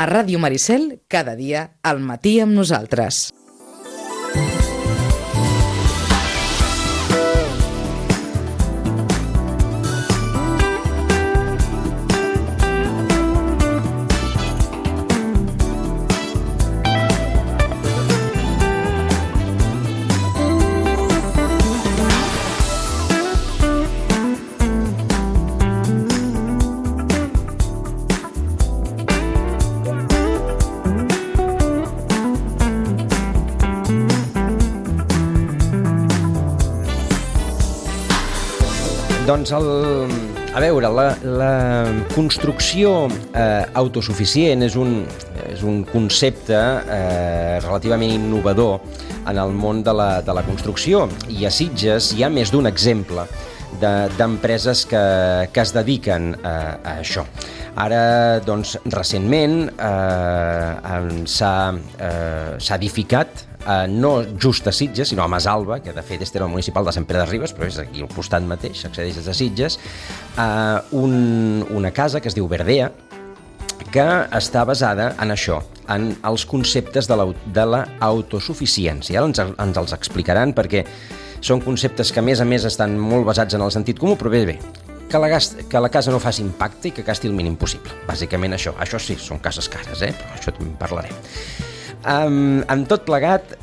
A Ràdio Maricel, cada dia, al matí amb nosaltres. Doncs, a veure, la construcció autosuficient és un concepte relativament innovador en el món de la construcció, i a Sitges hi ha més d'un exemple d'empreses que es dediquen a això. Ara, doncs, recentment s'ha edificat, no just a Sitges, sinó a Masalba, que de fet és terme municipal de Sant Pere de Ribes, però és aquí al costat mateix, s'accedeix des de Sitges, una casa que es diu Verdea, que està basada en això, en els conceptes de l'autosuficiència. Ara ens els explicaran, perquè són conceptes que, a més, estan molt basats en el sentit comú, però bé, que la casa no faci impacte i que gasti el mínim possible. Bàsicament això. Això sí, són cases cares, però això també en parlarem. Amb tot plegat,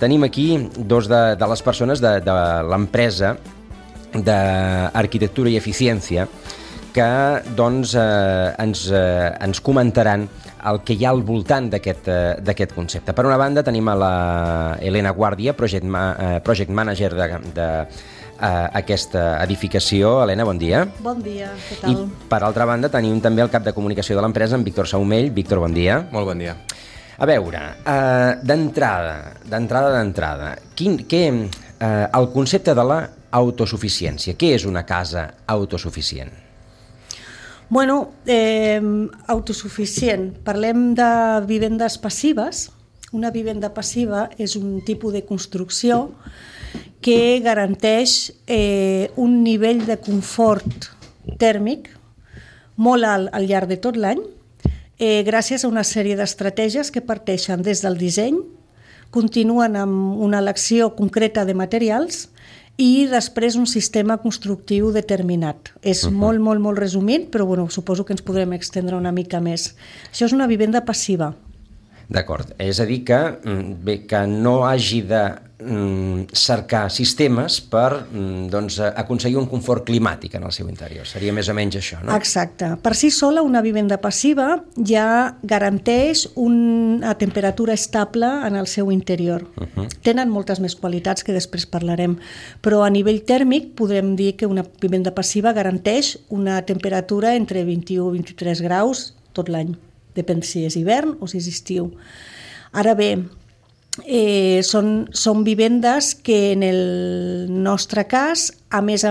tenim aquí dos de les persones de l'empresa d'arquitectura i eficiència que ens comentaran el que hi ha al voltant d'aquest concepte. Per una banda tenim a la Helena Guàrdia, project manager d'aquesta edificació. Helena, bon dia. Bon dia, què tal? I per altra banda tenim també el cap de comunicació de l'empresa, en Víctor Saumell. Víctor, bon dia. Molt bon dia. A veure, d'entrada, el concepte de l'autosuficiència. Què és una casa autosuficient? Bueno, autosuficient. Parlem de vivendes passives. Una vivenda passiva és un tipus de construcció que garanteix un nivell de confort tèrmic molt alt al llarg de tot l'any, gràcies a una sèrie d'estratègies que parteixen des del disseny, continuen amb una elecció concreta de materials i després un sistema constructiu determinat. És molt resumit, però bueno, suposo que ens podrem extendre una mica més. Això és una vivenda passiva. D'acord, és a dir que no hagi de cercar sistemes per aconseguir un confort climàtic en el seu interior. Seria més o menys això, no? Exacte. Per si sola, una vivenda passiva ja garanteix una temperatura estable en el seu interior. Tenen moltes més qualitats que després parlarem, però a nivell tèrmic podem dir que una vivenda passiva garanteix una temperatura entre 21 i 23 graus tot l'any. Depèn si és hivern o si és estiu. Ara bé, són vivendes que en el nostre cas, a més,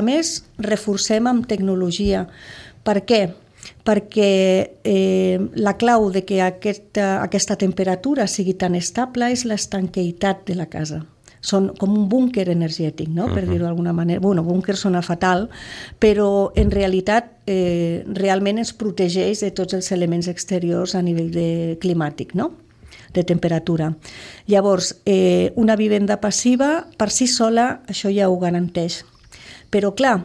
reforcem amb tecnologia. Per què? Perquè la clau de que aquesta temperatura sigui tan estable és l'estanqueïtat de la casa. Són com un búnquer energètic, no? Per dir-ho d'alguna manera. Bueno, búnquer sona fatal, però en realitat realment ens protegeix de tots els elements exteriors a nivell climàtic, no? De temperatura. Llavors, una vivenda passiva, per si sola, això ja ho garanteix. Però clar,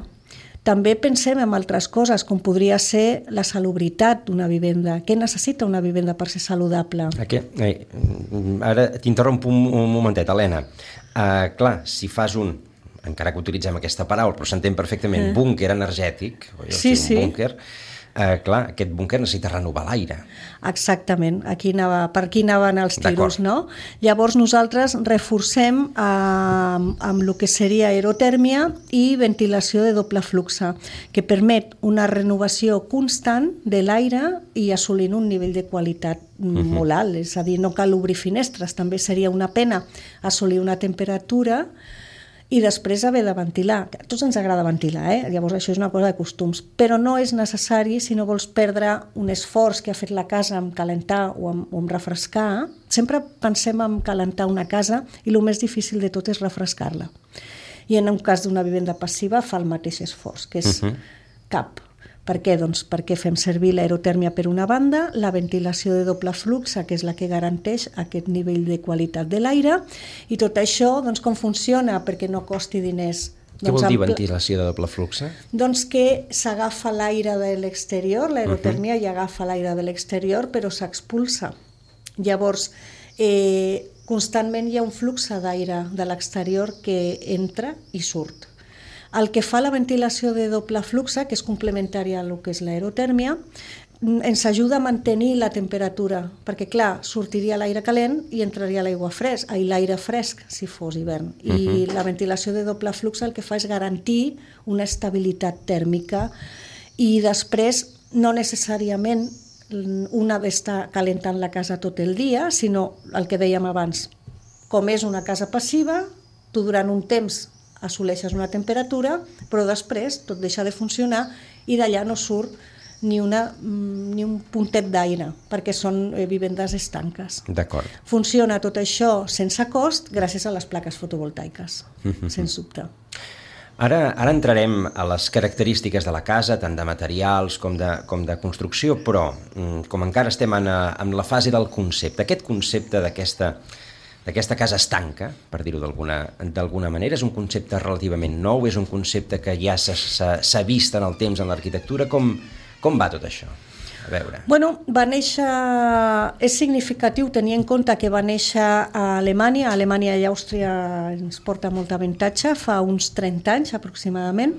també pensem en altres coses, com podria ser la salubritat d'una vivenda. Què necessita una vivenda per ser saludable? Ara t'interrompo un momentet, Helena. Clar, si fas encara que utilitzem aquesta paraula, però s'entén perfectament, búnquer energètic, sí. Búnquer, clar, aquest búnquer necessita renovar l'aire. Exactament, per aquí anaven els tiros, no? Llavors nosaltres reforcem amb el que seria aerotèrmia i ventilació de doble flux, que permet una renovació constant de l'aire i assolint un nivell de qualitat molt alt, és a dir, no cal obrir finestres, també seria una pena assolir una temperatura i després haver de ventilar. A tots ens agrada ventilar, llavors això és una cosa de costums, però no és necessari si no vols perdre un esforç que ha fet la casa en calentar o en refrescar. Sempre pensem en calentar una casa i el més difícil de tot és refrescar-la. I en un cas d'una vivenda passiva fa el mateix esforç, que és cap. Per què? Doncs perquè fem servir l'aerotèrmia per una banda, la ventilació de doble flux, que és la que garanteix aquest nivell de qualitat de l'aire, i tot això, doncs, com funciona? Perquè no costi diners. Què vol dir ventilació de doble flux? Doncs que s'agafa l'aire de l'exterior, l'aerotèrmia ja agafa l'aire de l'exterior, però s'expulsa. Llavors, constantment hi ha un flux d'aire de l'exterior que entra i surt. El que fa la ventilació de doble flux, que és complementària al que és l'aerotèrmia, ens ajuda a mantenir la temperatura, perquè clar, sortiria l'aire calent i entraria l'aigua fresc, l'aire fresc si fos hivern. I la ventilació de doble flux el que fa és garantir una estabilitat tèrmica i després no necessàriament una d'estar calentant la casa tot el dia, sinó el que dèiem abans, com és una casa passiva, tu durant un temps assoleixes una temperatura, però després tot deixa de funcionar i d'allà no surt ni un puntet d'aire, perquè són vivendes estanques. D'acord. Funciona tot això sense cost gràcies a les plaques fotovoltaiques, sens dubte. Ara entrarem a les característiques de la casa, tant de materials com de construcció, però com encara estem en la fase del concepte, aquest concepte d'aquesta casa estanca, per dir-ho d'alguna manera, és un concepte relativament nou, és un concepte que ja s'ha vist en el temps en l'arquitectura. Com va tot això? A veure. Bueno, va néixer, és significatiu tenir en compte que va néixer a Alemanya i Àustria ens porta molt avantatge, fa uns 30 anys aproximadament.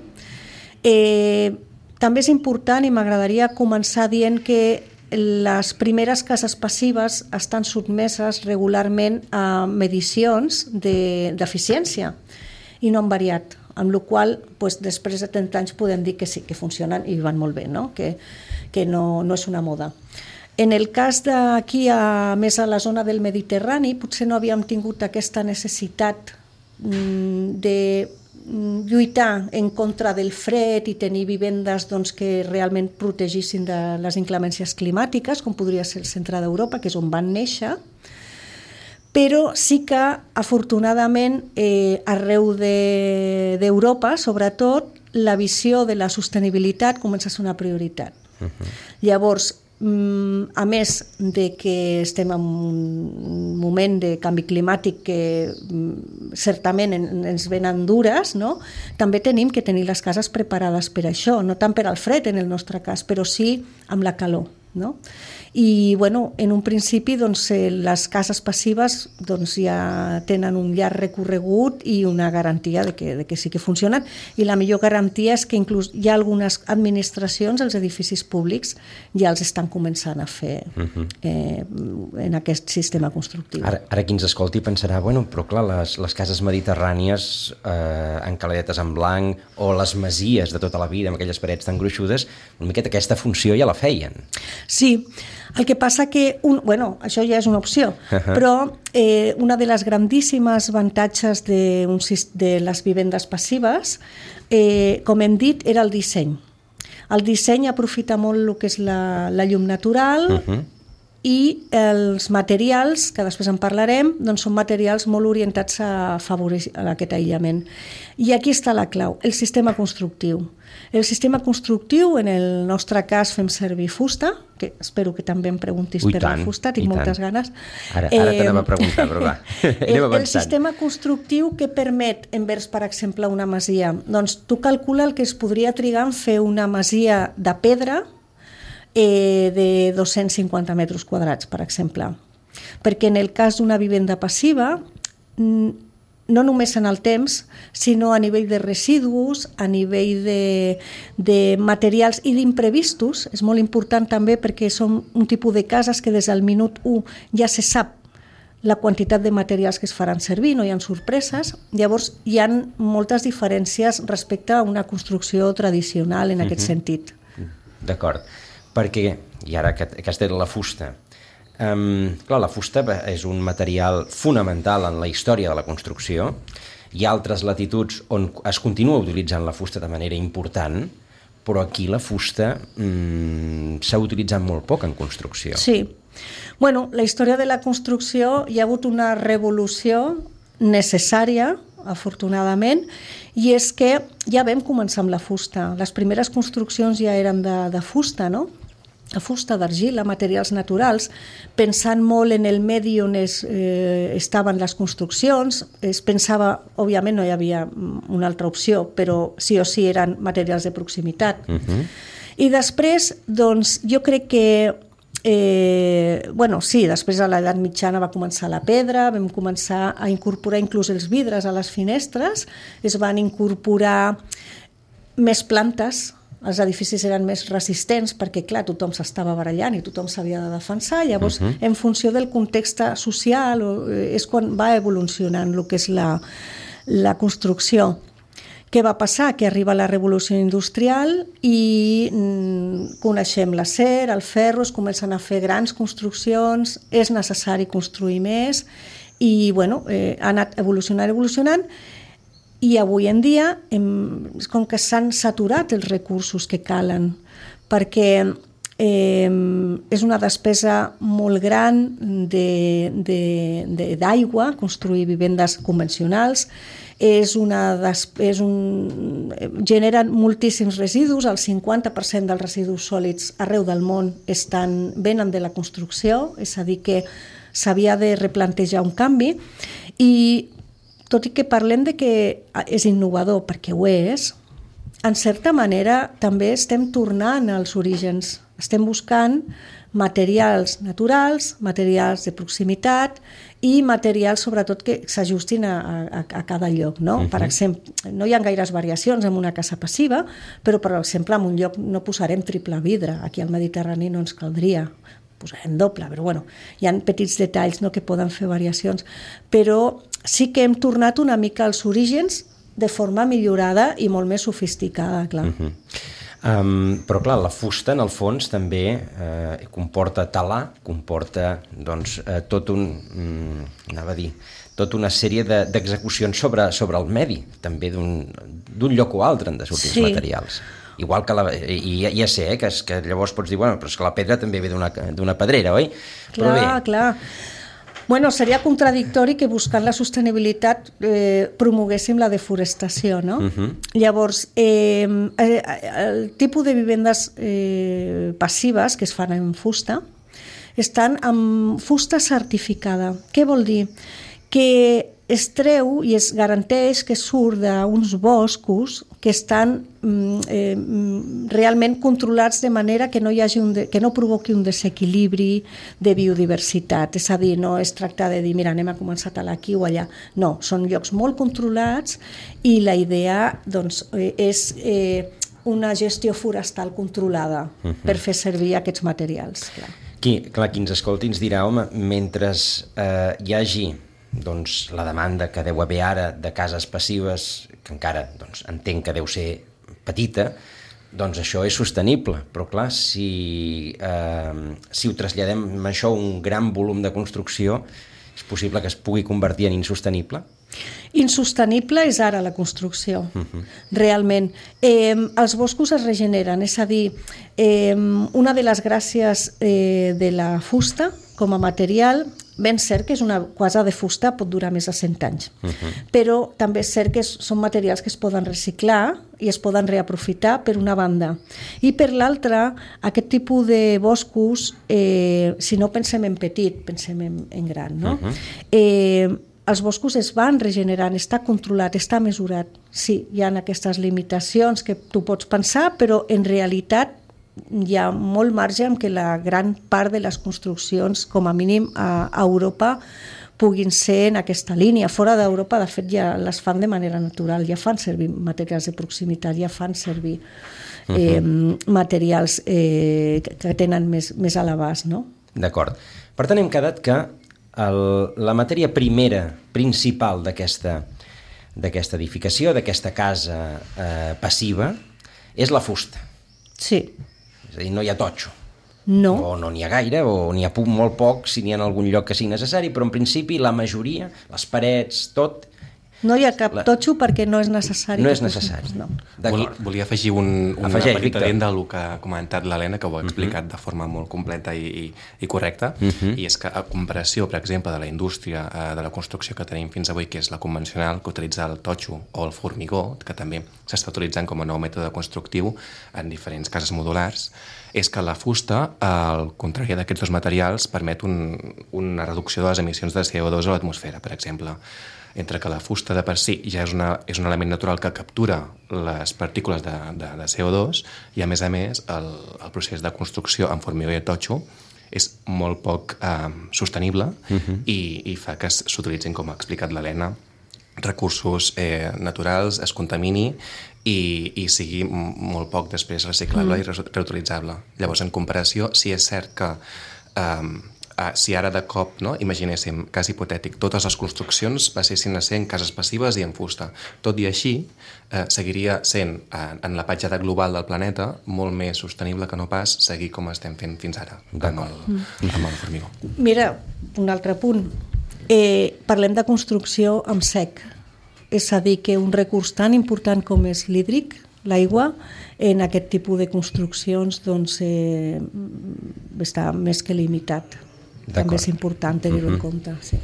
També és important i m'agradaria començar dient que les primeres cases passives estan sotmeses regularment a medicions d'eficiència i no han variat, amb la qual cosa després de 30 anys podem dir que sí, que funcionen i van molt bé, no? Que no és una moda. En el cas d'aquí, més a la zona del Mediterrani, potser no havíem tingut aquesta necessitat de lluitar en contra del fred i tenir vivendes que realment protegissin de les inclemències climàtiques, com podria ser el centre d'Europa, que és on van néixer, però sí que, afortunadament, arreu d'Europa, sobretot, la visió de la sostenibilitat comença a ser una prioritat. Llavors, a més de que estem en un moment de canvi climàtic que certament ens venen dures, no? També tenim que tenir les cases preparades per això, no tant per al fred en el nostre cas, però sí amb la calor. No? I en un principi les cases passives ja tenen un llarg recorregut i una garantia de que sí que funcionen, i la millor garantia és que inclús hi ha algunes administracions, els edificis públics ja els estan començant a fer en aquest sistema constructiu. Ara qui ens escolti pensarà, però clar, les cases mediterrànies encaladetes en blanc o les masies de tota la vida amb aquelles parets tan gruixudes, una miqueta aquesta funció ja la feien. Sí, el que passa que, això ja és una opció, però una de les grandíssimes avantatges de les vivendes passives, com hem dit, era el disseny. El disseny aprofita molt el que és la llum natural i els materials, que després en parlarem, són materials molt orientats a afavorir aquest aïllament. I aquí està la clau, el sistema constructiu. El sistema constructiu, en el nostre cas fem servir fusta, que espero que també em preguntis per la fusta, tinc moltes ganes. Ara t'anem a preguntar, però va, anem avançant. El sistema constructiu que permet, envers, per exemple, una masia, tu calcula el que es podria trigar en fer una masia de pedra de 250 metres quadrats, per exemple. Perquè en el cas d'una vivenda passiva, no només en el temps, sinó a nivell de residus, a nivell de materials i d'imprevistos. És molt important també perquè són un tipus de cases que des del minut 1 ja se sap la quantitat de materials que es faran servir, no hi ha sorpreses. Llavors hi ha moltes diferències respecte a una construcció tradicional en aquest sentit. D'acord, perquè, i ara que has dit la fusta, clar, la fusta és un material fonamental en la història de la construcció. Hi ha altres latituds on es continua utilitzant la fusta de manera important, però aquí la fusta s'ha utilitzat molt poc en construcció. Sí. La història de la construcció hi ha hagut una revolució necessària afortunadament, i és que ja vam començar amb la fusta. Les primeres construccions ja eren de fusta, no? La fusta, d'argila, materials naturals, pensant molt en el medi on estaven les construccions. Es pensava, òbviament no hi havia una altra opció, però sí o sí eren materials de proximitat. I després, doncs, jo crec que sí, després a l'edat mitjana va començar la pedra, vam començar a incorporar inclús els vidres a les finestres, es van incorporar més plantes, els edificis eren més resistents perquè, clar, tothom s'estava barallant i tothom s'havia de defensar. Llavors, en funció del context social, és quan va evolucionant el que és la construcció. Què va passar? Que arriba la revolució industrial i coneixem l'acer, el ferro, es comencen a fer grans construccions, és necessari construir més i, ha anat evolucionant, i avui en dia és com que s'han saturat els recursos que calen, perquè és una despesa molt gran d'aigua, construir vivendes convencionals, generen moltíssims residus, el 50% dels residus sòlids arreu del món venen de la construcció, és a dir que s'havia de replantejar un canvi, i tot i que parlem de que és innovador, perquè ho és, en certa manera també estem tornant als orígens. Estem buscant materials naturals, materials de proximitat i materials, sobretot, que s'ajustin a cada lloc. No? Per exemple, no hi ha gaires variacions en una casa passiva, però, per exemple, en un lloc no posarem triple vidre. Aquí al Mediterrani no ens caldria. Posarem doble, però hi ha petits detalls que poden fer variacions. Però sí que hem tornat una mica als orígens de forma millorada i molt més sofisticada, clar. Però clar, la fusta en el fons també comporta talar, comporta tota una sèrie d'execucions sobre el medi, també d'un lloc o altre han de sortir els materials. Igual que ja sé que llavors pots dir, però és que la pedra també ve d'una pedrera, oi? Clar. Seria contradictori que buscant la sostenibilitat promoguéssim la deforestació, no? Llavors, el tipus de vivendes passives que es fan en fusta estan amb fusta certificada. Què vol dir? Que es treu i es garanteix que surt d'uns boscos que estan realment controlats de manera que no provoqui un desequilibri de biodiversitat. És a dir, no es tracta de dir, mira, anem a començar a talar aquí o allà. No, són llocs molt controlats i la idea és una gestió forestal controlada per fer servir aquests materials. Qui ens escolti ens dirà, home, mentre hi hagi la demanda que deu haver ara de cases passives, que encara entenc que deu ser petita, això és sostenible. Però clar, si ho traslladem això a un gran volum de construcció, és possible que es pugui convertir en insostenible? Insostenible és ara la construcció, realment. Els boscos es regeneren, és a dir, una de les gràcies de la fusta com a material, ben cert que és una quasa de fusta, pot durar més de 100 anys, però també és cert que són materials que es poden reciclar i es poden reaprofitar, per una banda. I per l'altra, aquest tipus de boscos, si no pensem en petit, pensem en gran, no? Els boscos es van regenerant, està controlat, està mesurat. Sí, hi ha aquestes limitacions que tu pots pensar, però en realitat hi ha molt marge en que la gran part de les construccions, com a mínim a Europa, puguin ser en aquesta línia. Fora d'Europa, de fet, ja les fan de manera natural, ja fan servir materials de proximitat, ja fan servir materials que tenen més a l'abast, no? D'acord. Per tant, hem quedat que la matèria primera, principal d'aquesta edificació, d'aquesta casa passiva, és la fusta. Sí. És a dir, no hi ha totxo. No. O no n'hi ha gaire, o n'hi ha molt poc, si n'hi ha en algun lloc que sigui necessari, però en principi la majoria, les parets, tot, No hi ha cap totxo perquè no és necessari. No és necessari. No. Volia afegir una petita dent del que ha comentat l'Helena, que ho ha explicat de forma molt completa i correcta, i és que a comparació, per exemple, de la indústria de la construcció que tenim fins avui, que és la convencional, que utilitza el totxo o el formigó, que també s'està utilitzant com a nou mètode constructiu en diferents cases modulars, és que la fusta, al contrari d'aquests dos materials, permet una reducció de les emissions de CO2 a l'atmosfera, per exemple. Entre que la fusta de per si ja és un element natural que captura les partícules de CO2 i, a més, el procés de construcció en formigó i totxo és molt poc sostenible i fa que s'utilitzin, com ha explicat l'Helena, recursos naturals, es contamini i sigui molt poc després reciclable i reutilitzable. Llavors, en comparació, sí és cert que si ara de cop, no, imaginéssim, cas hipotètic, totes les construccions passessin a ser en cases passives i en fusta. Tot i així, seguiria sent, en la petjada global del planeta, molt més sostenible que no pas seguir com estem fent fins ara amb el formigó. Mira, un altre punt. Parlem de construcció amb sec. És a dir, que un recurs tan important com és l'hídric, l'aigua, en aquest tipus de construccions doncs, està més que limitat. També és important tenir-ho en compte. Sí.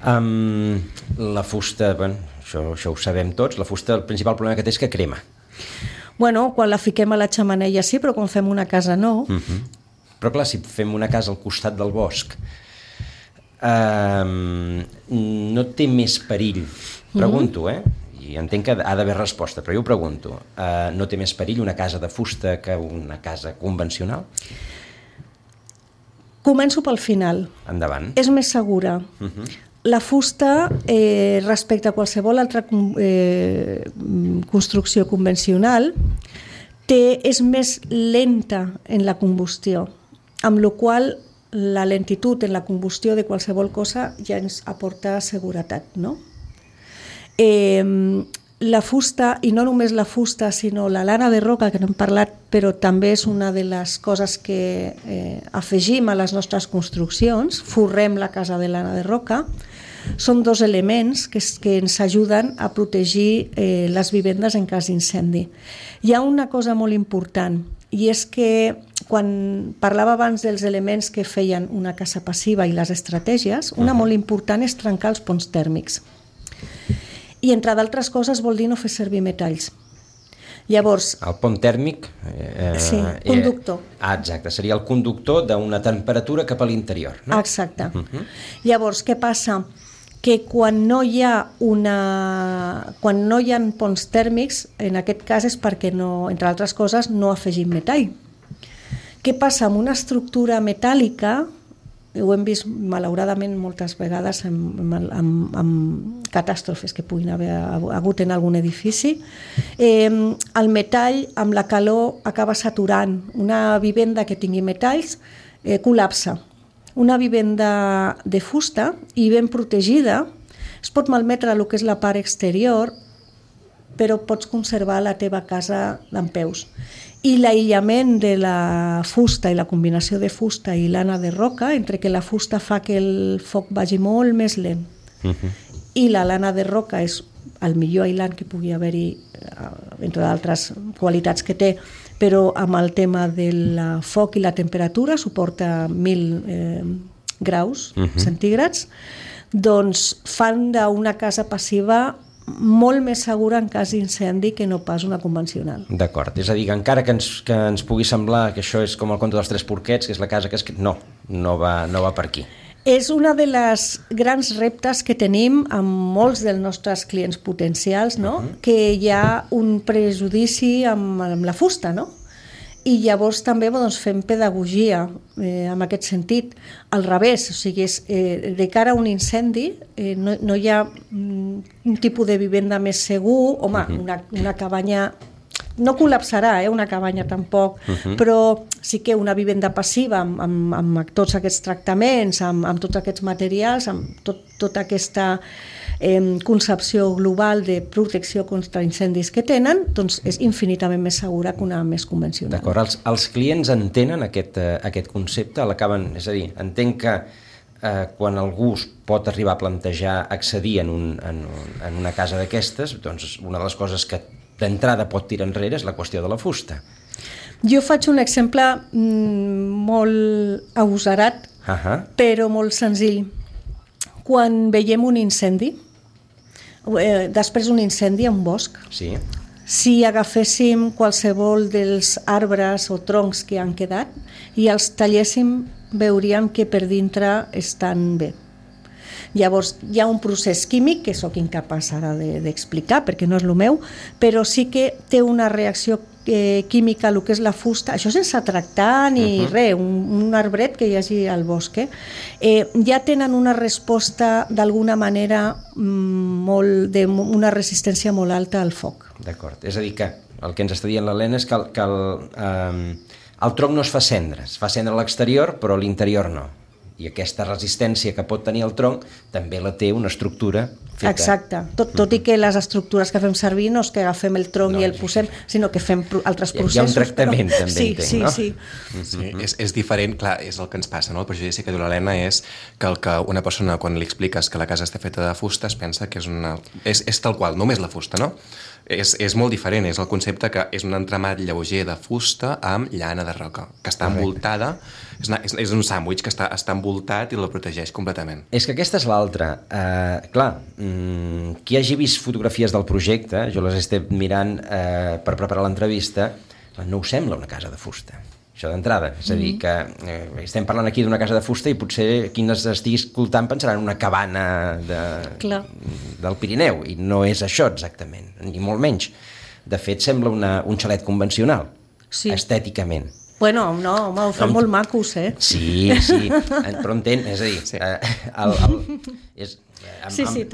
La fusta, bueno, això ho sabem tots, la fusta el principal problema que té és que crema. Bueno, quan la fiquem a la xemeneia sí, però quan fem una casa no. Però clar, si fem una casa al costat del bosc, no té més perill, pregunto, i entenc que ha d'haver resposta, però jo ho pregunto, no té més perill una casa de fusta que una casa convencional? Començo pel final. Endavant. És més segura. La fusta, respecte a qualsevol altra construcció convencional, és més lenta en la combustió, amb la qual cosa la lentitud en la combustió de qualsevol cosa ja ens aporta seguretat, no? La fusta, i no només la fusta, sinó la lana de roca, que n'hem parlat, però també és una de les coses que afegim a les nostres construccions, forrem la casa de lana de roca, són dos elements que ens ajuden a protegir les vivendes en cas d'incendi. Hi ha una cosa molt important, i és que quan parlava abans dels elements que feien una casa passiva i les estratègies, una molt important és trencar els ponts tèrmics. I entre d'altres coses vol dir no fer servir metalls. Llavors... El pont tèrmic... Sí, conductor. Exacte, seria el conductor d'una temperatura cap a l'interior, no? Exacte. Llavors, què passa? Que quan no hi ha ponts tèrmics, en aquest cas és perquè, entre altres coses, no afegim metall. Què passa amb una estructura metàl·lica? Ho hem vist malauradament moltes vegades amb catàstrofes que puguin haver hagut en algun edifici. El metall amb la calor acaba saturant. Una vivenda que tingui metalls col·lapsa. Una vivenda de fusta i ben protegida es pot malmetre el que és la part exterior, però pots conservar la teva casa dempeus. I l'aïllament de la fusta i la combinació de fusta i lana de roca, entre que la fusta fa que el foc vagi molt més lent i la lana de roca és el millor aïllant que pugui haver-hi, entre d'altres qualitats que té, però amb el tema del foc i la temperatura suporta 1.000 graus centígrads, doncs fan d'una casa passiva molt més segura en cas d'incendi que no pas una convencional. D'acord, és a dir, que encara que ens pugui semblar que això és com el conte dels tres porquets, que és la casa que no va per aquí. És una de les grans reptes que tenim amb molts dels nostres clients potencials, no? Que hi ha un prejudici amb la fusta, no? I llavors també fem pedagogia en aquest sentit, al revés, o sigui, de cara a un incendi no hi ha un tipus de vivenda més segur, home, una cabanya no col·lapsarà, una cabanya tampoc, però sí que una vivenda passiva amb tots aquests tractaments, amb tots aquests materials, amb tota aquesta concepció global de protecció contra incendis que tenen, doncs és infinitament més segura que una més convencional. D'acord, els clients entenen aquest concepte, l'acaben, és a dir, entenc que quan algú pot arribar a plantejar accedir en una casa d'aquestes, doncs una de les coses que d'entrada pot tirar enrere és la qüestió de la fusta. Jo faig un exemple molt agosarat, però molt senzill. Quan veiem un incendi, després d'un incendi en un bosc, sí. Si agaféssim qualsevol dels arbres o troncs que han quedat i els talléssim, veuríem que per dintre estan bé. Llavors, hi ha un procés químic que sóc incapaç ara d'explicar perquè no és el meu, però sí que té una reacció química, el que és la fusta, això sense tractar ni res, un arbret que hi hagi al bosc, ja tenen una resposta d'alguna manera una resistència molt alta al foc. D'acord, és a dir que el que ens està dient l'Helena és que el tronc no es fa cendra a l'exterior però a l'interior no. I aquesta resistència que pot tenir el tronc també la té una estructura feta. Exacte, tot i que les estructures que fem servir no és que agafem el tronc i el posem, sinó que fem altres processos. Hi ha un tractament també, entenc, no? Sí. És diferent, clar, és el que ens passa, no? El prejudici que diu l'Helena és que una persona, quan li expliques que la casa està feta de fusta, es pensa que és tal qual, només la fusta, no? És molt diferent, és el concepte que és un entramat lleuger de fusta amb llana de roca, que està envoltada, és un sàndwich que està envoltat i la protegeix completament. És que aquesta és l'altra. Clar, qui hagi vist fotografies del projecte, jo les estic mirant per preparar l'entrevista, no us sembla una casa de fusta. Això d'entrada, és a dir, que estem parlant aquí d'una casa de fusta i potser qui ens estigui escoltant pensarà en una cabana del Pirineu, i no és això exactament, ni molt menys. De fet, sembla un xalet convencional, estèticament. Bueno, no, home, ho fan molt macos, Sí, però entén, és a dir,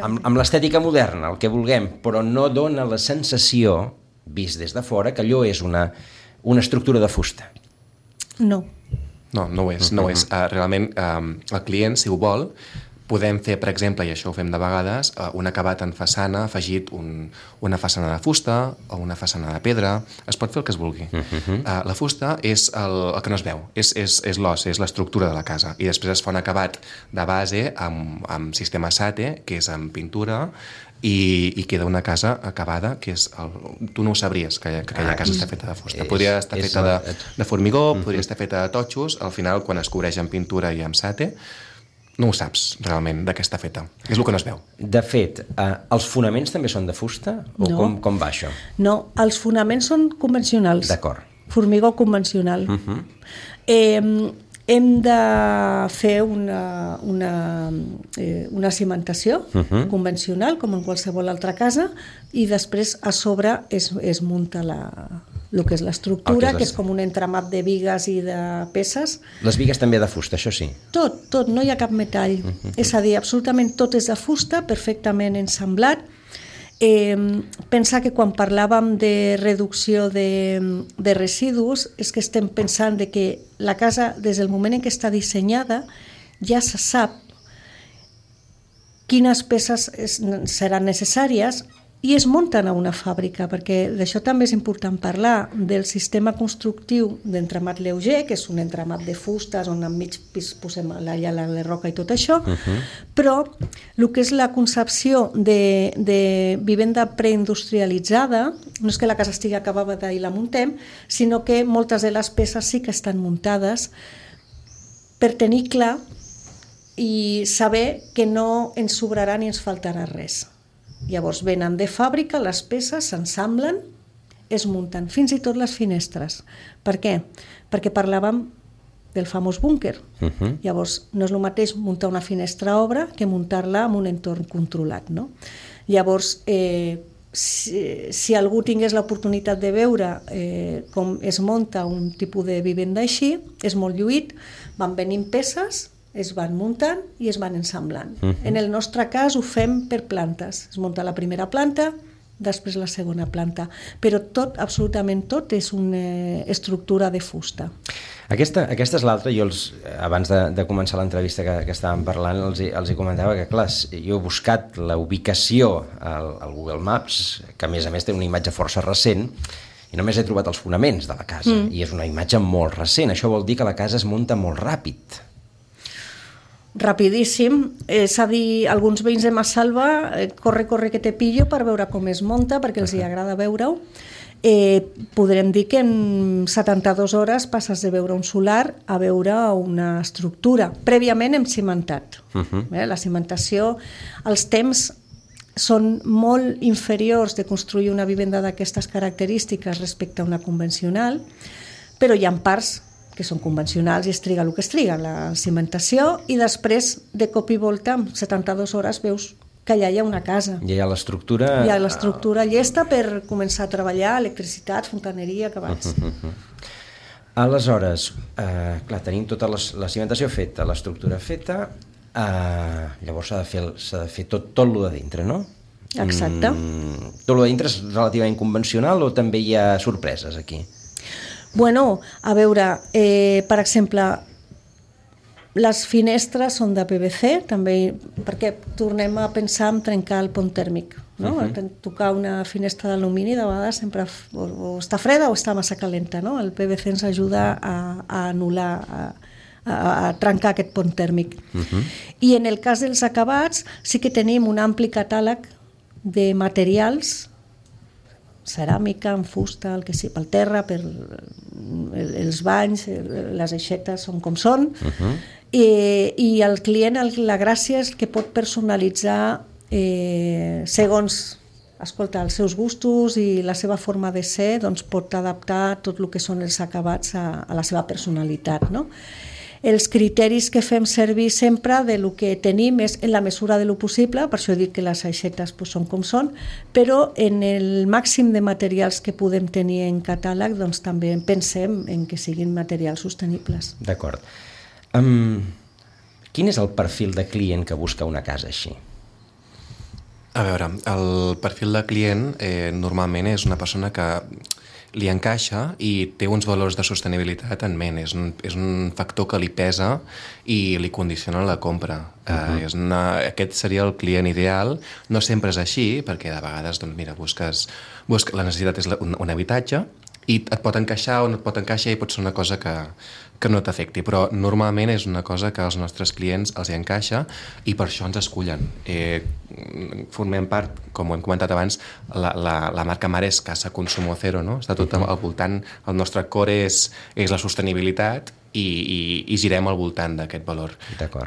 amb l'estètica moderna, el que vulguem, però no dona la sensació, vist des de fora, que allò és una estructura de fusta. No. No ho és. Realment, el client, si ho vol, podem fer, per exemple, i això ho fem de vegades, un acabat en façana afegit una façana de fusta o una façana de pedra. Es pot fer el que es vulgui. La fusta és el que no es veu, és l'os, és l'estructura de la casa. I després es fa un acabat de base amb sistema SATE, que és amb pintura, i queda una casa acabada que és tu no ho sabries que aquella casa està feta de fusta, podria estar feta de formigó, podria estar feta de totxos, al final quan es cobreix amb pintura i amb SATE no ho saps realment de què està feta, és el que no es veu. De fet, els fonaments també són de fusta? O com va això? No, els fonaments són convencionals. D'acord. Formigó convencional. Hem de fer una cimentació convencional, com en qualsevol altra casa, i després a sobre es munta el que és l'estructura, que és com un entramat de bigues i de peces. Les bigues també de fusta, això sí? Tot, no hi ha cap metall. És a dir, absolutament tot és de fusta, perfectament ensamblat. Pensar que quan parlàvem de reducció de residus és que estem pensant de que la casa, des del moment en què està dissenyada, ja se sap quines peces seran necessàries i es munten a una fàbrica, perquè d'això també és important parlar, del sistema constructiu d'entramat lleuger, que és un entramat de fustes on enmig posem la roca i tot això, però el que és la concepció de vivenda preindustrialitzada no és que la casa estigui acabada i la muntem, sinó que moltes de les peces sí que estan muntades per tenir clar i saber que no ens sobrarà ni ens faltarà res. Llavors venen de fàbrica, les peces s'ensamblen, es munten, fins i tot les finestres. Per què? Perquè parlàvem del famós búnquer. Llavors no és el mateix muntar una finestra a obra que muntar-la en un entorn controlat, no? Llavors, si algú tingués l'oportunitat de veure com es munta un tipus de vivenda així, és molt lluït, van venint peces, es van muntant i es van ensamblant. En el nostre cas ho fem per plantes. Es munta la primera planta, després la segona planta. Però tot, absolutament tot, és una estructura de fusta. Aquesta és l'altra. Jo, abans de començar l'entrevista que estàvem parlant, els hi comentava que, clar, jo he buscat la ubicació al Google Maps, que a més té una imatge força recent, i només he trobat els fonaments de la casa. I és una imatge molt recent. Això vol dir que la casa es munta molt ràpid. rapidíssim, és a dir, alguns veïns de Massalva, corre que te pillo per veure com es munta, perquè els hi agrada veure-ho. Podrem dir que en 72 hores passes de veure un solar a veure una estructura. Prèviament hem cimentat. La cimentació, els temps són molt inferiors de construir una vivenda d'aquestes característiques respecte a una convencional, però hi ha parts que són convencionals i es triga el que es triga, la cimentació, i després, de cop i volta, en 72 hores veus que allà hi ha una casa. Ja hi ha l'estructura... Hi ha l'estructura llesta per començar a treballar, electricitat, fontaneria, acabats. Aleshores, clar, tenim tota la cimentació feta, l'estructura feta, llavors s'ha de fer tot lo de dintre, no? Exacte. Tot lo de dintre és relativament convencional o també hi ha sorpreses aquí? Bueno, a veure, per exemple, les finestres són de PVC, també, perquè tornem a pensar en trencar el pont tèrmic, no? Tocar una finestra d'alumini de vegades sempre o està freda o està massa calenta, no? El PVC ens ajuda a anul·lar, a trencar aquest pont tèrmic. I en el cas dels acabats sí que tenim un ampli catàleg de materials, ceràmica, en fusta, el que sigui, pel terra, per els banys, les aixetes són com són, i el client, la gràcia és que pot personalitzar segons, escolta, els seus gustos i la seva forma de ser, doncs pot adaptar tot el que són els acabats a la seva personalitat, no? Els criteris que fem servir sempre de lo que tenim és en la mesura de lo possible, per això he dit que les aixetes són com són, però en el màxim de materials que podem tenir en catàleg doncs també pensem en que siguin materials sostenibles. D'acord. Quin és el perfil de client que busca una casa així? A veure, el perfil de client normalment és una persona que li encaixa i té uns valors de sostenibilitat en ment. És un factor que li pesa i li condiciona la compra. Aquest seria el client ideal. No sempre és així, perquè de vegades doncs, mira, la necessitat és un habitatge i et pot encaixar o no et pot encaixar i pot ser una cosa que no t'afecti, però normalment és una cosa que als nostres clients els hi encaixa i per això ens escullen. Formem part, com ho hem comentat abans, la marca mare és Casa Consumo Cero, no? Està tot al voltant, el nostre core és la sostenibilitat i girem al voltant d'aquest valor.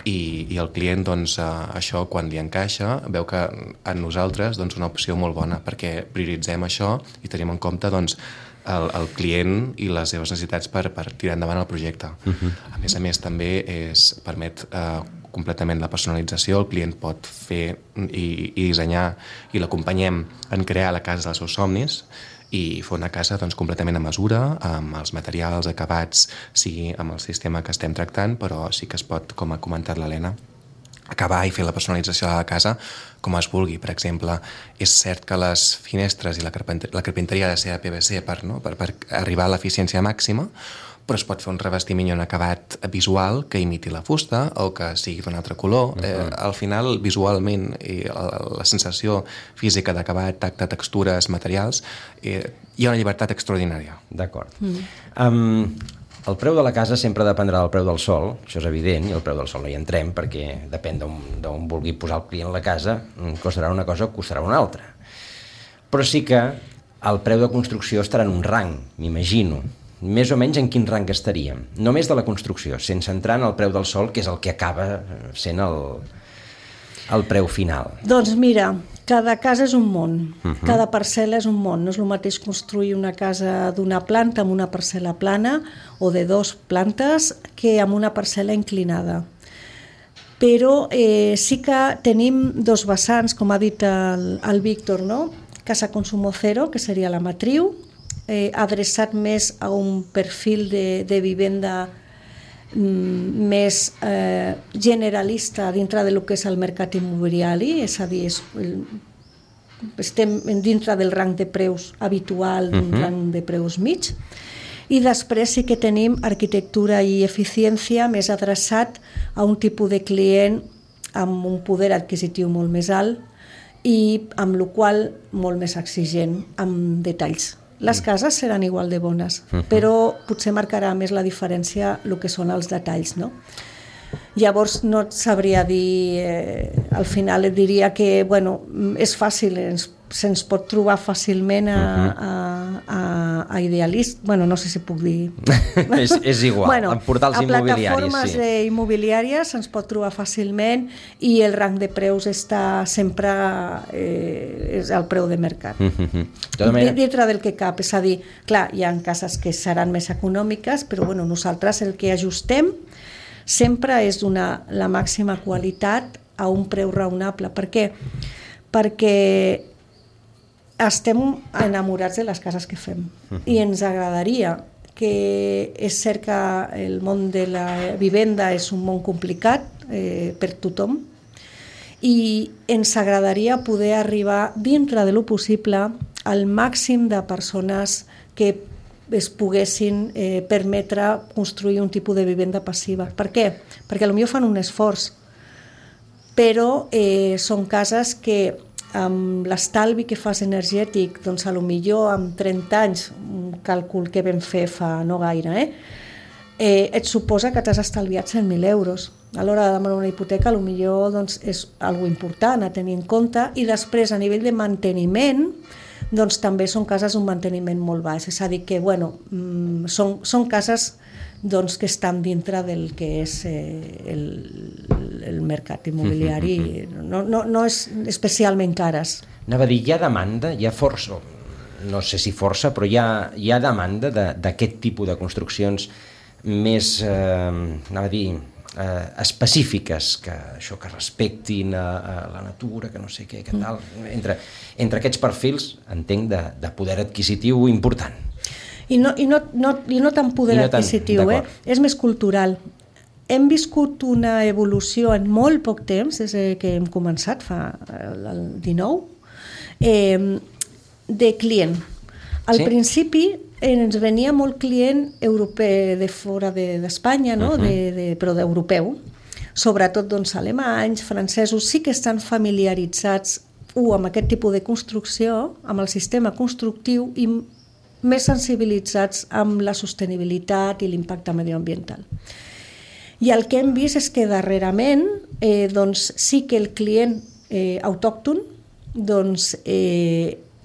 I el client, doncs, això, quan li encaixa, veu que en nosaltres és una opció molt bona, perquè prioritzem això i tenim en compte, doncs, el client i les seves necessitats per tirar endavant el projecte. A més, també permet completament la personalització. El client pot fer i dissenyar i l'acompanyem en crear la casa dels seus somnis i fer una casa doncs, completament a mesura, amb els materials acabats, sigui amb el sistema que estem tractant, però sí que es pot, com ha comentat l'Helena, acabar i fer la personalització de la casa com es vulgui. Per exemple, és cert que les finestres i la carpinteria ha de ser de PVC per arribar a l'eficiència màxima, però es pot fer un revestiment i un acabat visual que imiti la fusta o que sigui d'un altre color. Al final, visualment, i la sensació física d'acabat, tacte, textures, materials, hi ha una llibertat extraordinària. D'acord. El preu de la casa sempre dependrà del preu del sòl, això és evident, i el preu del sòl no hi entrem perquè depèn d'on vulgui posar el client la casa, costarà una cosa o costarà una altra. Però sí que el preu de construcció estarà en un rang, m'imagino. Més o menys en quin rang estaríem? Només de la construcció, sense entrar en el preu del sòl, que és el que acaba sent el preu final. Doncs mira, cada casa és un món, cada parcel·la és un món. No és el mateix construir una casa d'una planta amb una parcel·la plana o de 2 plantes que amb una parcel·la inclinada. Però sí que tenim 2 vessants, com ha dit el Víctor, no? Casa Consumo Cero, que seria la matriu, adreçat més a un perfil de vivenda més generalista dintre del que és el mercat immobiliari, és a dir, estem dintre del rang de preus habitual, d'un rang de preus mig, i després sí que tenim arquitectura i eficiència més adreçat a un tipus de client amb un poder adquisitiu molt més alt i amb el qual molt més exigent amb detalls. Les cases seran igual de bones, però potser marcarà més la diferència el que són els detalls, no? Llavors no et sabria dir, al final et diria que és fàcil, se'ns pot trobar fàcilment a idealist, no sé si puc dir. és igual, en portals immobiliaris. A plataformes immobiliàries se'ns pot trobar fàcilment i el rang de preus està sempre és el preu de mercat. Dintre del que cap, és a dir, clar, hi ha cases que seran més econòmiques, però nosaltres el que ajustem sempre és donar la màxima qualitat a un preu raonable. Per què? Perquè estem enamorats de les cases que fem i ens agradaria, que és cert que el món de la vivenda és un món complicat per tothom, i ens agradaria poder arribar dintre de lo possible al màxim de persones que es poguessin permetre construir un tipus de vivenda passiva. Per què? Perquè potser fan un esforç, però són cases que amb l'estalvi que fas energètic, doncs potser amb 30 anys, un càlcul que vam fer fa no gaire, et suposa que t'has estalviat 100.000 euros. A l'hora de demanar una hipoteca, potser doncs, és algo important a tenir en compte, i després a nivell de manteniment, doncs també són cases d'un manteniment molt baix, és a dir que són cases doncs, que estan dintre del que és el mercat immobiliari, no és especialment cares. Anava a dir, hi ha demanda, hi ha força, no sé si força, però hi ha demanda d'aquest tipus de construccions més, anava a dir, específiques, que respectin a la natura, que no sé què, que tal, entre aquests perfils, entenc, de poder adquisitiu important. I no tan poder adquisitiu, és més cultural. Hem viscut una evolució en molt poc temps, des que hem començat, fa el 19, de client. Al principi ens venia molt client europeu de fora d'Espanya, però d'europeu, sobretot alemanys, francesos, sí que estan familiaritzats amb aquest tipus de construcció, amb el sistema constructiu, i més sensibilitzats amb la sostenibilitat i l'impacte medioambiental. I el que hem vist és que darrerament sí que el client autòcton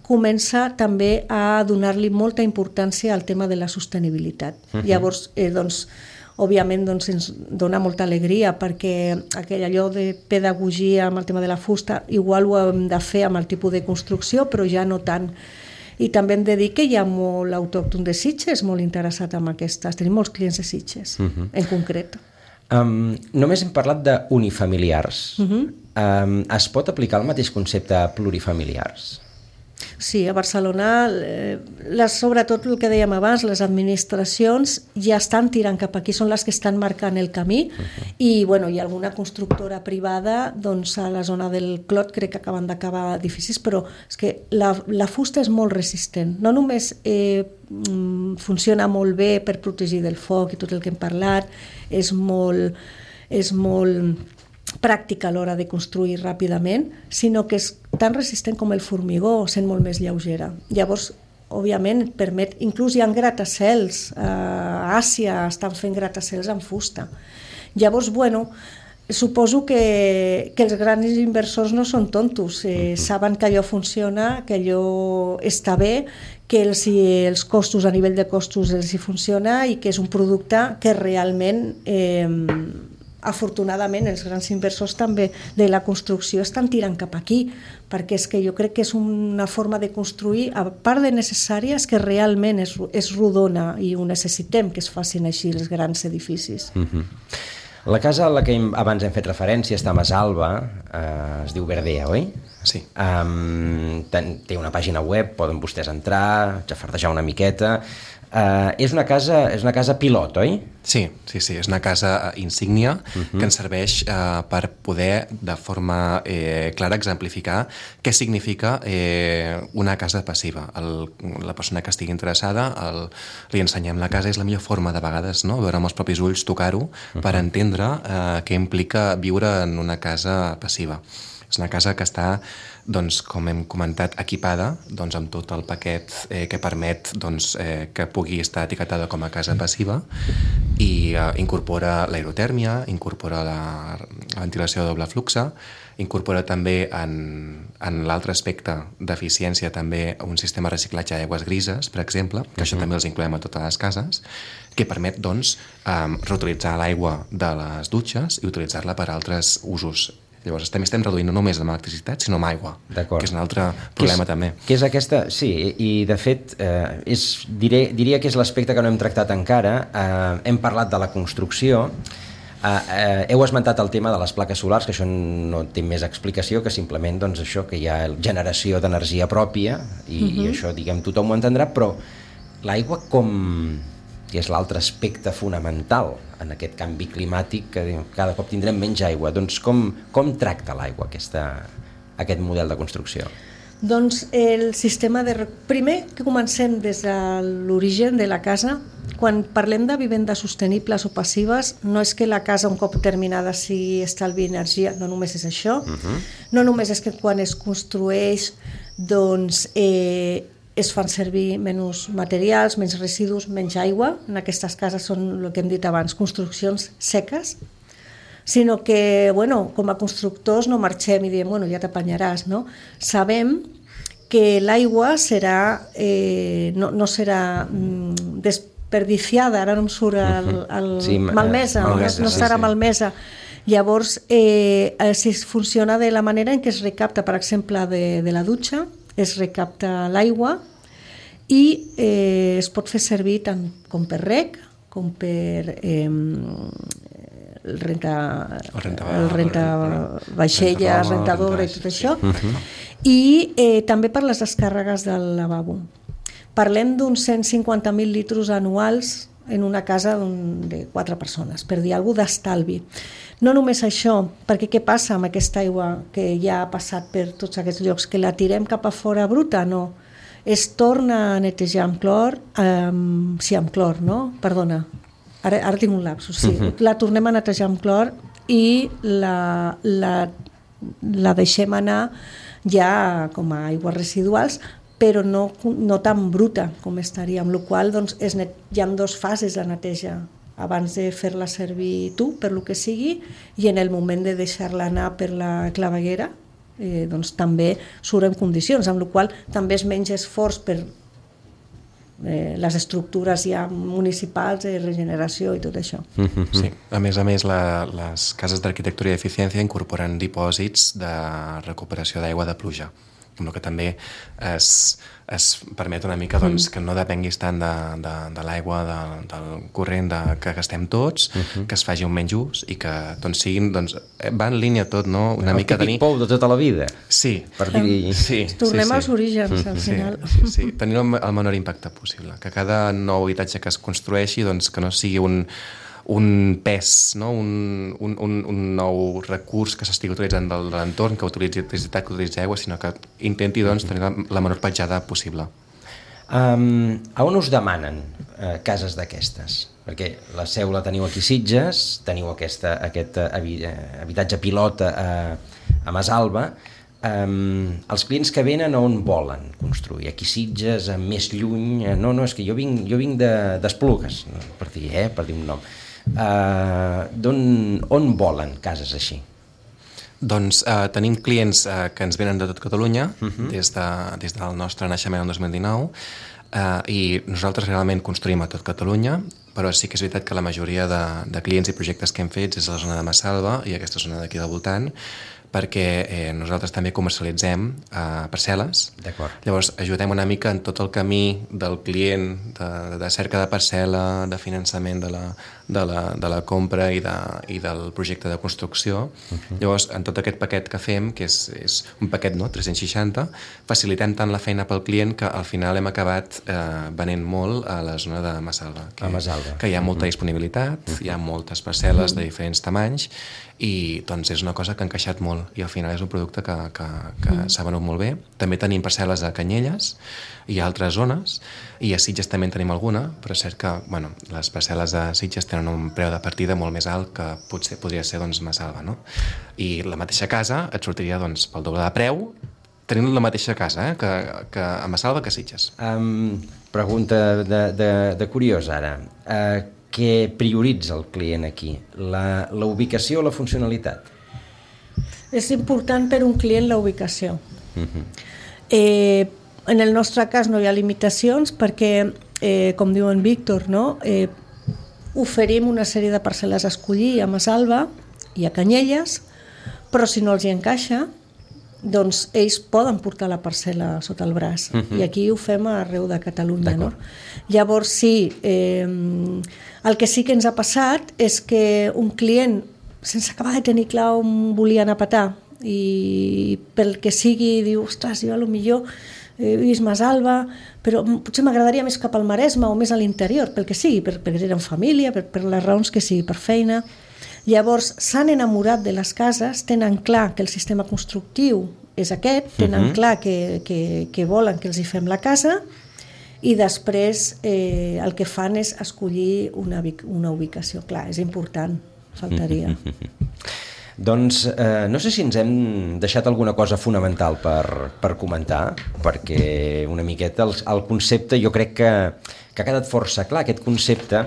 comença també a donar-li molta importància al tema de la sostenibilitat. Llavors, òbviament ens dona molta alegria, perquè allò de pedagogia amb el tema de la fusta igual ho hem de fer amb el tipus de construcció, però ja no tant. I també hem de dir que hi ha molt autòcton de Sitges molt interessat en aquestes. Tenim molts clients de Sitges, en concret. Només hem parlat d'unifamiliars. Es pot aplicar el mateix concepte a plurifamiliars? Sí, a Barcelona, sobretot el que dèiem abans, les administracions ja estan tirant cap aquí, són les que estan marcant el camí, i hi ha alguna constructora privada, doncs a la zona del Clot crec que acaben d'acabar edificis, però és que la fusta és molt resistent, no només funciona molt bé per protegir del foc i tot el que hem parlat, és molt pràctica a l'hora de construir ràpidament, sinó que és tan resistent com el formigó, sent molt més lleugera. Llavors, òbviament, et permet, inclús hi ha gratacels, a Àsia estan fent gratacels amb fusta. Llavors, suposo que els grans inversors no són tontos, saben que allò funciona, que allò està bé, que els costos, a nivell de costos, els hi funciona, i que és un producte que realment afortunadament els grans inversors també de la construcció estan tirant cap aquí, perquè és que jo crec que és una forma de construir, a part de necessària, és que realment és rodona i ho necessitem, que es facin així els grans edificis. La casa a la que abans hem fet referència està a Masalba, es diu Verdea, oi? Sí. Té una pàgina web, poden vostès entrar, xafardejar una miqueta. És una casa pilot, oi? Sí, és una casa insígnia que ens serveix per poder de forma clara exemplificar què significa una casa passiva. La persona que estigui interessada li ensenyem la casa, és la millor forma de vegades, no? Veure amb els propis ulls, tocar-ho, per entendre què implica viure en una casa passiva. És una casa que està, doncs, com hem comentat, equipada doncs, amb tot el paquet que permet doncs, que pugui estar etiquetada com a casa passiva i incorpora l'aerotèrmia, incorpora la ventilació de doble fluxe, incorpora també en l'altre aspecte d'eficiència també un sistema de reciclatge d'aigües grises, per exemple, que això també els incloem a totes les cases, que permet doncs, reutilitzar l'aigua de les dutxes i utilitzar-la per a altres usos. Llavors estem reduint no només amb electricitat, sinó amb aigua, que és un altre problema també. Que és aquesta, sí, i de fet diria que és l'aspecte que no hem tractat encara. Hem parlat de la construcció, heu esmentat el tema de les plaques solars, que això no té més explicació que simplement doncs, això, que hi ha generació d'energia pròpia i això, diguem, tothom ho entendrà, però l'aigua que és l'altre aspecte fonamental en aquest canvi climàtic, que cada cop tindrem menys aigua. Doncs com tracta l'aigua aquest model de construcció? Doncs el sistema de... Primer que comencem des de l'origen de la casa. Quan parlem de vivendes sostenibles o passives, no és que la casa un cop terminada sigui estalvi energia, no només és això, no només és que quan es construeix doncs es fan servir menys materials, menys residus, menys aigua. En aquestes cases són el que hem dit abans, construccions seques, sinó que, bueno, com a constructors no marxem i diem, bueno, ja t'apanyaràs, no? Sabem que l'aigua serà, no serà desperdiciada, ara no em surt malmesa, no serà malmesa. Llavors, si funciona de la manera en què es recapta, per exemple, de la dutxa, es recapta l'aigua i es pot fer servir tant com per reg com per el rentavaixelles, rentadora i tot això, i també per les descàrregues del lavabo. Parlem d'uns 150.000 litres anuals en una casa de 4 persones, per dir alguna cosa d'estalvi. No només això, perquè què passa amb aquesta aigua que ja ha passat per tots aquests llocs, que la tirem cap a fora bruta? No. Es torna a netejar amb clor, amb clor, no? Perdona, ara tinc un lapsus, sí. La tornem a netejar amb clor i la deixem anar ja com a aigües residuals, però no tan bruta com estaria, amb la qual cosa hi ha 2 fases de neteja, abans de fer-la servir tu, per lo que sigui, i en el moment de deixar-la anar per la claveguera, doncs també surt en condicions, amb la qual cosa també es menys esforç per les estructures ja municipals de regeneració i tot això. Sí, a més, les cases d'arquitectura i d'eficiència incorporen dipòsits de recuperació d'aigua de pluja, amb el que també es permet una mica doncs, que no depenguis tant de l'aigua, del corrent que gastem tots, que es faci un menys ús i que doncs, siguin, doncs, va en línia tot, no? Una mica el típic pou de tota la vida. Sí. Tornem als orígens, al final. Sí. Tenir el menor impacte possible. Que cada nou habitatge que es construeixi, doncs, que no sigui un pes, no? un nou recurs que s'estigui utilitzant de l'entorn, que utilitzi electricitat, que utilitzi aigua, sinó que intenti doncs, tenir la menor petjada possible. A on us demanen cases d'aquestes? Perquè la seu la teniu aquí a Sitges, teniu aquest habitatge pilot a Masalba. Els clients que venen on volen construir? Aquí a Sitges, més lluny? No, és que jo vinc d'Esplugues, per dir un nom. On volen cases així? Doncs tenim clients que ens venen de tot Catalunya, des del nostre naixement el 2019, i nosaltres realment construïm a tot Catalunya, però sí que és veritat que la majoria de clients i projectes que hem fet és a la zona de Massalva i aquesta zona d'aquí del voltant, perquè nosaltres també comercialitzem parcel·les. Llavors ajudem una mica en tot el camí del client, de cerca de parcel·la, de finançament de la compra i del projecte de construcció. Llavors, en tot aquest paquet que fem, que és un paquet 360, facilitem tant la feina pel client que al final hem acabat venent molt a la zona de Massalva, que hi ha molta disponibilitat, hi ha moltes parcel·les de diferents tamanys i doncs és una cosa que ha encaixat molt molt i al final és un producte que s'ha venut molt bé. També tenim parcel·les a Canyelles i a altres zones, i a Sitges també en tenim alguna, però és cert que les parcel·les de Sitges tenen un preu de partida molt més alt que potser podria ser Massalva, no? I la mateixa casa et sortiria pel doble de preu tenint la mateixa casa que a Massalva que a Sitges. Pregunta de curiós ara. Què prioritza el client aquí? La ubicació o la funcionalitat? És important per un client la ubicació. En el nostre cas no hi ha limitacions perquè, com diu en Víctor, no? Oferim una sèrie de parcel·les a escollir a Massalva i a Canyelles, però si no els hi encaixa, doncs ells poden portar la parcel·la sota el braç, i aquí ho fem arreu de Catalunya, no? Llavors sí, el que sí que ens ha passat és que un client, sense acabar de tenir clar on volia anar a petar, i pel que sigui diu, ostres, jo potser he vist Massalva, però potser m'agradaria més cap al Maresme o més a l'interior, pel que sigui, perquè tenen família, per les raons que sigui, per feina. Llavors s'han enamorat de les cases, tenen clar que el sistema constructiu és aquest, tenen clar que volen que els hi fem la casa, i després el que fan és escollir una ubicació. Clar, és important, faltaria. Doncs no sé si ens hem deixat alguna cosa fonamental per comentar, perquè una miqueta el concepte jo crec que ha quedat força clar, aquest concepte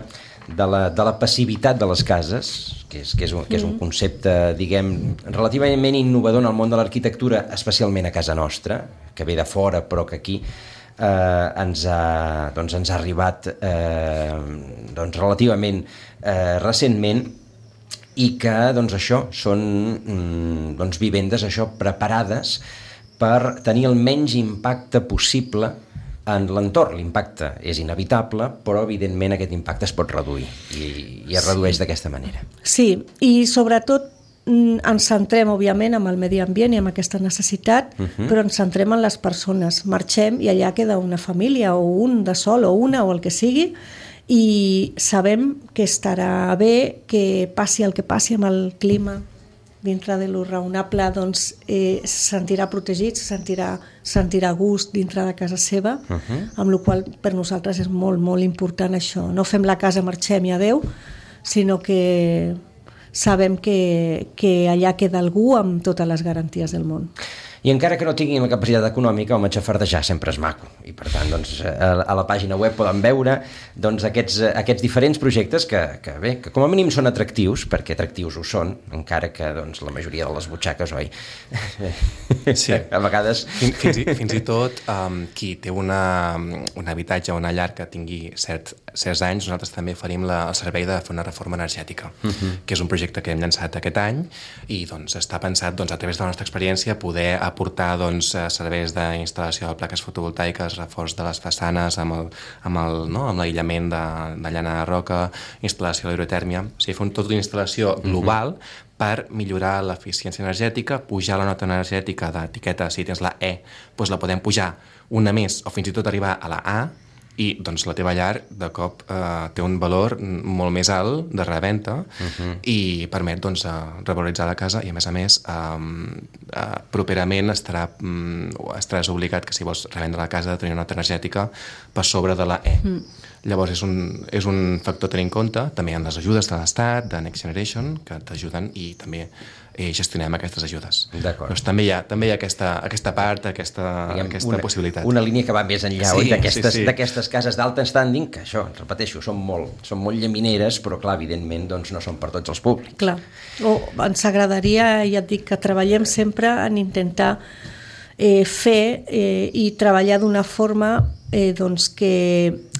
de la passivitat de les cases, que és un concepte, diguem, relativament innovador en el món de l'arquitectura, especialment a casa nostra, que ve de fora però que aquí ens ha arribat relativament recentment, i que això són vivendes preparades per tenir el menys impacte possible en l'entorn. L'impacte és inevitable, però evidentment aquest impacte es pot reduir i es redueix d'aquesta manera. Sí, i sobretot ens centrem, òbviament, en el medi ambient i en aquesta necessitat, però ens centrem en les persones. Marxem i allà queda una família, o un de sol, o una, o el que sigui, i sabem que estarà bé, que passi el que passi amb el clima, dintre de lo raonable, doncs se sentirà protegit, se sentirà a gust dintre de casa seva, amb la qual per nosaltres és molt, molt important això. No fem la casa, marxem i adeu, sinó que sabem que allà queda algú amb totes les garanties del món. I encara que no tinguin la capacitat econòmica, home, xafardejar sempre és maco. I per tant, a la pàgina web poden veure aquests diferents projectes que com a mínim són atractius, perquè atractius ho són, encara que la majoria de les butxaques, oi? Sí. A vegades... Fins i tot qui té un habitatge o una llar que tingui certs anys, nosaltres també oferim el servei de fer una reforma energètica, que és un projecte que hem llançat aquest any i està pensat a través de la nostra experiència poder aportar serveis d'instal·lació de plaques fotovoltaiques, reforç de les façanes amb l'aïllament de llana de roca, instal·lació d'aerotèrmia, o sigui, fer tota una instal·lació global per millorar l'eficiència energètica, pujar la nota energètica d'etiqueta, si tens la E, doncs la podem pujar una més o fins i tot arribar a la A, i la teva llar de cop té un valor molt més alt de reventa i permet revaloritzar la casa i a més properament estaràs obligat que si vols revendre la casa de tenir una nota energètica per sobre de la E. Llavors és un factor a tenir en compte. També hi ha les ajudes de l'Estat, de Next Generation, que t'ajuden i també gestionem aquestes ajudes. Doncs també hi ha aquesta part, aquesta possibilitat. Una línia que va més enllà d'aquestes cases d'alta standing, que això, repeteixo, són molt llamineres, però clar, evidentment no són per tots els públics. Clar. Ens agradaria, ja et dic, que treballem sempre en intentar fer i treballar d'una forma que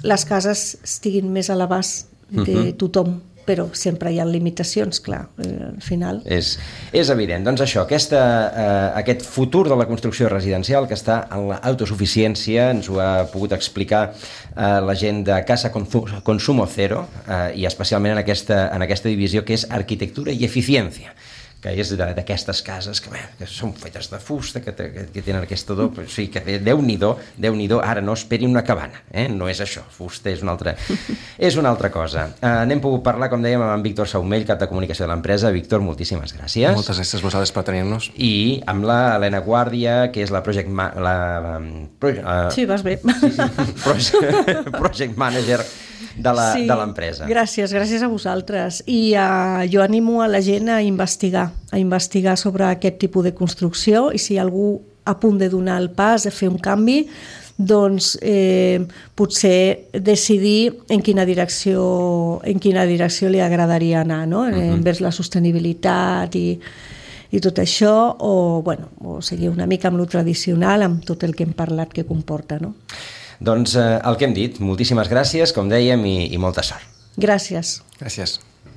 les cases estiguin més a l'abast de tothom, però sempre hi ha limitacions, clar, al final. És evident. Doncs això, aquest futur de la construcció residencial que està en l'autosuficiència, ens ho ha pogut explicar la gent de Casa Consumo Cero, i especialment en aquesta divisió que és arquitectura i eficiència, que és d'aquestes cases que són fetes de fusta, que tenen aquesta odor, però sí, que Déu-n'hi-do, ara no esperin una cabana, no és això, fusta és una altra cosa. N'hem pogut parlar, com dèiem, amb en Víctor Saumell, cap de comunicació de l'empresa. Víctor, moltíssimes gràcies. Moltes gràcies a vosaltres per tenir-nos. I amb la Helena Guàrdia, que és la project manager de l'empresa. Gràcies a vosaltres. I jo animo a la gent a investigar sobre aquest tipus de construcció, i si algú a punt de donar el pas, de fer un canvi, doncs potser decidir en quina direcció li agradaria anar, no? Envers la sostenibilitat i tot això, o seguir una mica amb lo tradicional, amb tot el que hem parlat que comporta, no? Doncs el que hem dit, moltíssimes gràcies, com dèiem, i molta sort. Gràcies. Gràcies.